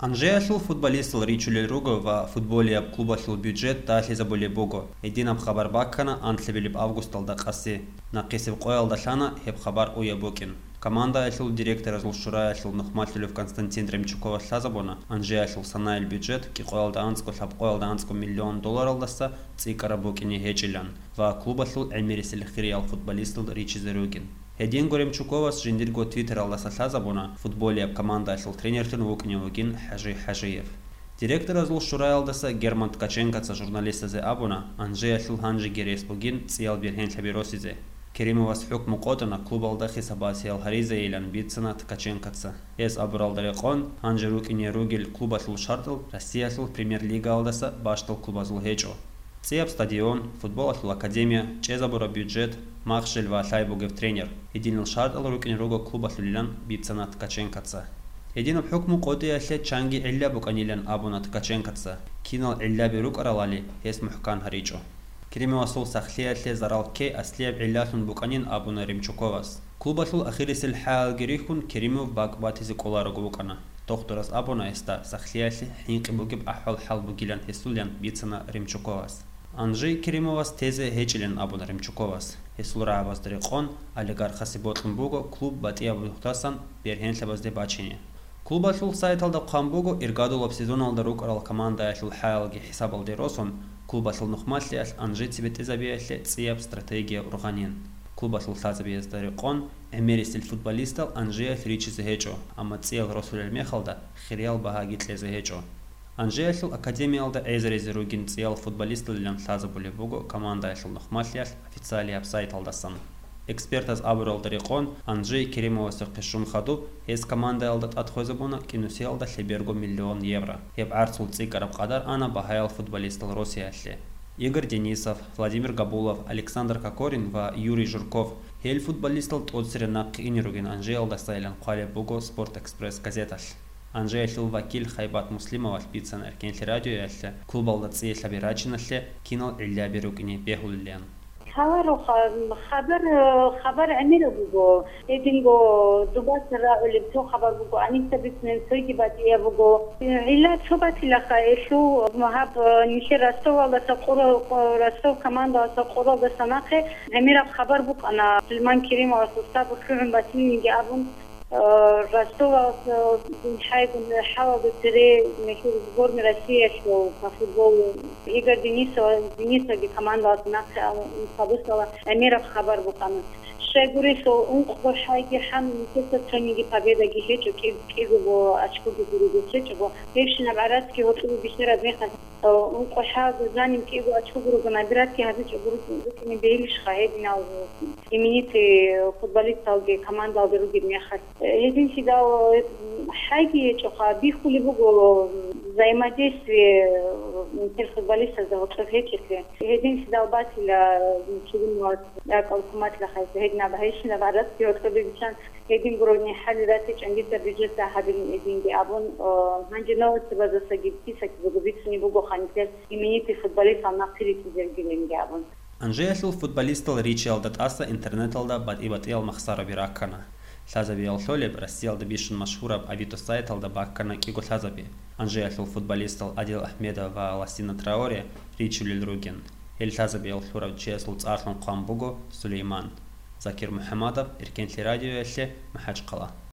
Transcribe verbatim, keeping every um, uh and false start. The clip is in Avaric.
Анжеялъул футболистал ричулел руго ва футболияб клубалъул бюджет дагьлъизабулеб буго. Гьединаб хабар баккана анлъабилеб августалда къаси. Нахъисеб къоялда лъана гьеб хабар уяб букӀин. Командаялъул директоразул шураялъул нухмалъулев Константин Ремчуковас лъазабуна, Анжеялъул санаил бюджет кӀикъоялда анцӀго лъабкъоялда анцӀго миллион долларалдаса цӀикӀкӀараб букӀине гьечӀилан ва клубалъул гӀемерисел хириял футболистал ричизе ругин. Гьединго Ремчуковас жиндирго твиттералдаса лъазабуна, футболияб командаялъул тренерлъун вукӀине вугин ХӀажи ХӀажиев. Директоразул шураялдаса Герман Ткаченкоца журналистазе абуна, Анжеялъул гьанжеги рес бугин цӀиял бергьенлъаби росизе. Керимовас хӀукму къотӀана клубалда хисаб-батиял гьаризейилан бицана Ткаченкоца. Гьес абуралда рекъон, гьанже рукӀине ругел клубалъул шартӀал Россиялъул премьер-лигаялдаса бащдал клубазул гьечӀо. ЦӀияб стадион, футболалъул академия, чӀезабураб бюджет, махщел ва лъай бугеб тренер. Гьединал шартӀал рукӀине руго клубалъулилан бицана Ткаченкоца. Гьединаб хӀукму къотӀиялъе чанги гӀилла букӀанилан абуна Ткаченкоца, кинал гӀиллаби рукӀаралали, гьес мухӀкан гьаричӀо. Керимовасул сахлъиялъе зарал ккей аслияб гӀиллалъун букӀанин абуна Ремчуковас. Клубалъул ахирисел хӀалалги рихьун, Керимов бакӀ батизе кӀоларого вукӀана. Дохтурас абуна гьесда, сахлъиялъе хӀинкъи бугеб ахӀвал-хӀал бугилан гьесулилан бицана Ремчуковас. Анжи Керимовас тезе гьечӀилан абуна Ремчуковас. Гьесул рагӀабазда рекъон, олигархасе бокьун буго клуб батӀияб нухдасан бергьенлъабазде бачине. Клубалъул сайталда хъван буго, иргадулаб сезоналда рукӀарал командаялъул хӀалалги хӀисабалде росун, клубалъул нухмалъиялъ Анжи цебетӀезабиялъе цӀияб стратегия ургъанин. Клубалъул лъазабиязда рекъон, гӀемерисел футболистал Анжиялъ ричизе гьечӀо, амма цӀиял росулел мехалда хириял багьаги кьезе гьечӀо. Анжеялъул академиялда гӀезаризе ругин цӀиял футболисталилан лъазабулеб буго командаялъул нухмалъиялъ официалияб сайталдасан. Экспертаз абуралда рекъон, Анжей Керимовасухъе щун хадуб, гьес командаялда тӀад хвезабуна кӀинусиялда лъеберго миллион евро. Гьеб гӀарцул цӀикӀкӀараб къадар ана багьаял футболистал Россиялъе. Игорь Денисов, Владимир Габулов, Александр Кокорин ва Юрий Жирков, гьел футболистал тӀоцере нахъе ине ругин Анжеялдасайилан хъвалеб буго «Спорт-Экспресс» газеталъ. Анжеялъул вакил Хайбат Муслимовалъ бицана Эркенлъи радиоялъе клубалда цӀиялъаби рачиналъе кинал гӀиллаби рукӀине бегьулилан. Гьалароха, хабар, хабар гӀемераб буго. Гьединго дубаса рагӀулеб цо хабар буго, гӀаниса бицунеб цойги батӀияб буго. ГӀилла цо батилаха, гьелъул гьаб нилъер Ростовалдаса къурал-, Ростов командалдаса къуралдаса нахъе гӀемераб хабар букӀана Сулейман Керимовасул сабур лъугӀун батилинги абун. Э, Ростовалъ, э, хӀайгун хӀалалда цере нилъер сборной Россиялъул по футболу Игорь Денисов, Денисовги командалъ нахъе ала, хадусала гӀемераб хабар букӀана. Щайгурелъул ункъго хӀайги хӀан нилъеца цониги победаги гьечӀо, кӀи-, кӀиго очкоги гурого гьечӀого. Гьебщинаб гӀарацги гьоркьоб бихьараб мехалъ, э, ункъо хӀалда жаниб кӀиго очко гурого набиратги гьабичӀого рукӀине бегьилищха гьединал именитый футболисталги командалда ругеб мехалъ. Гьединлъидал, м, хӀайги гьечӀоха, бихьулеб буго, м, взаимодействие, м, нилъер футболистазда гьоркьоб гьечӀеблъи. Гьединлъидал батила, м, Керимовас ракӀал хъуматлъахъайса, гьединаб гьайщинаб гӀарацги гьоркьобе биччан, гьедин гурони хӀали ратичӀан дица бюджетда гьабилин гьединги абун, о, гьанже новостабазасаги писаки буго бицунеб бугоха нилъер именитый футболистал нахъе ритӀизергилинги абун. Анжеялъул футболистал ричиялда тӀаса интернеталда батӀи-батӀиял махсараби раккана. Лъазабиял лъолеб Россиялда бищун машгьураб Авито сайталда баккана кӀиго лъазаби. Анжеялъул футболистал Адил Ахмедов ва Лассина Траоре ричулел ругин. Гьел лъазабиял лъурав чиясул цӀарлъун хъван буго Сулейман. Закир МухӀамадов, Эркенлъи радиоялъе, МахӀачхъала.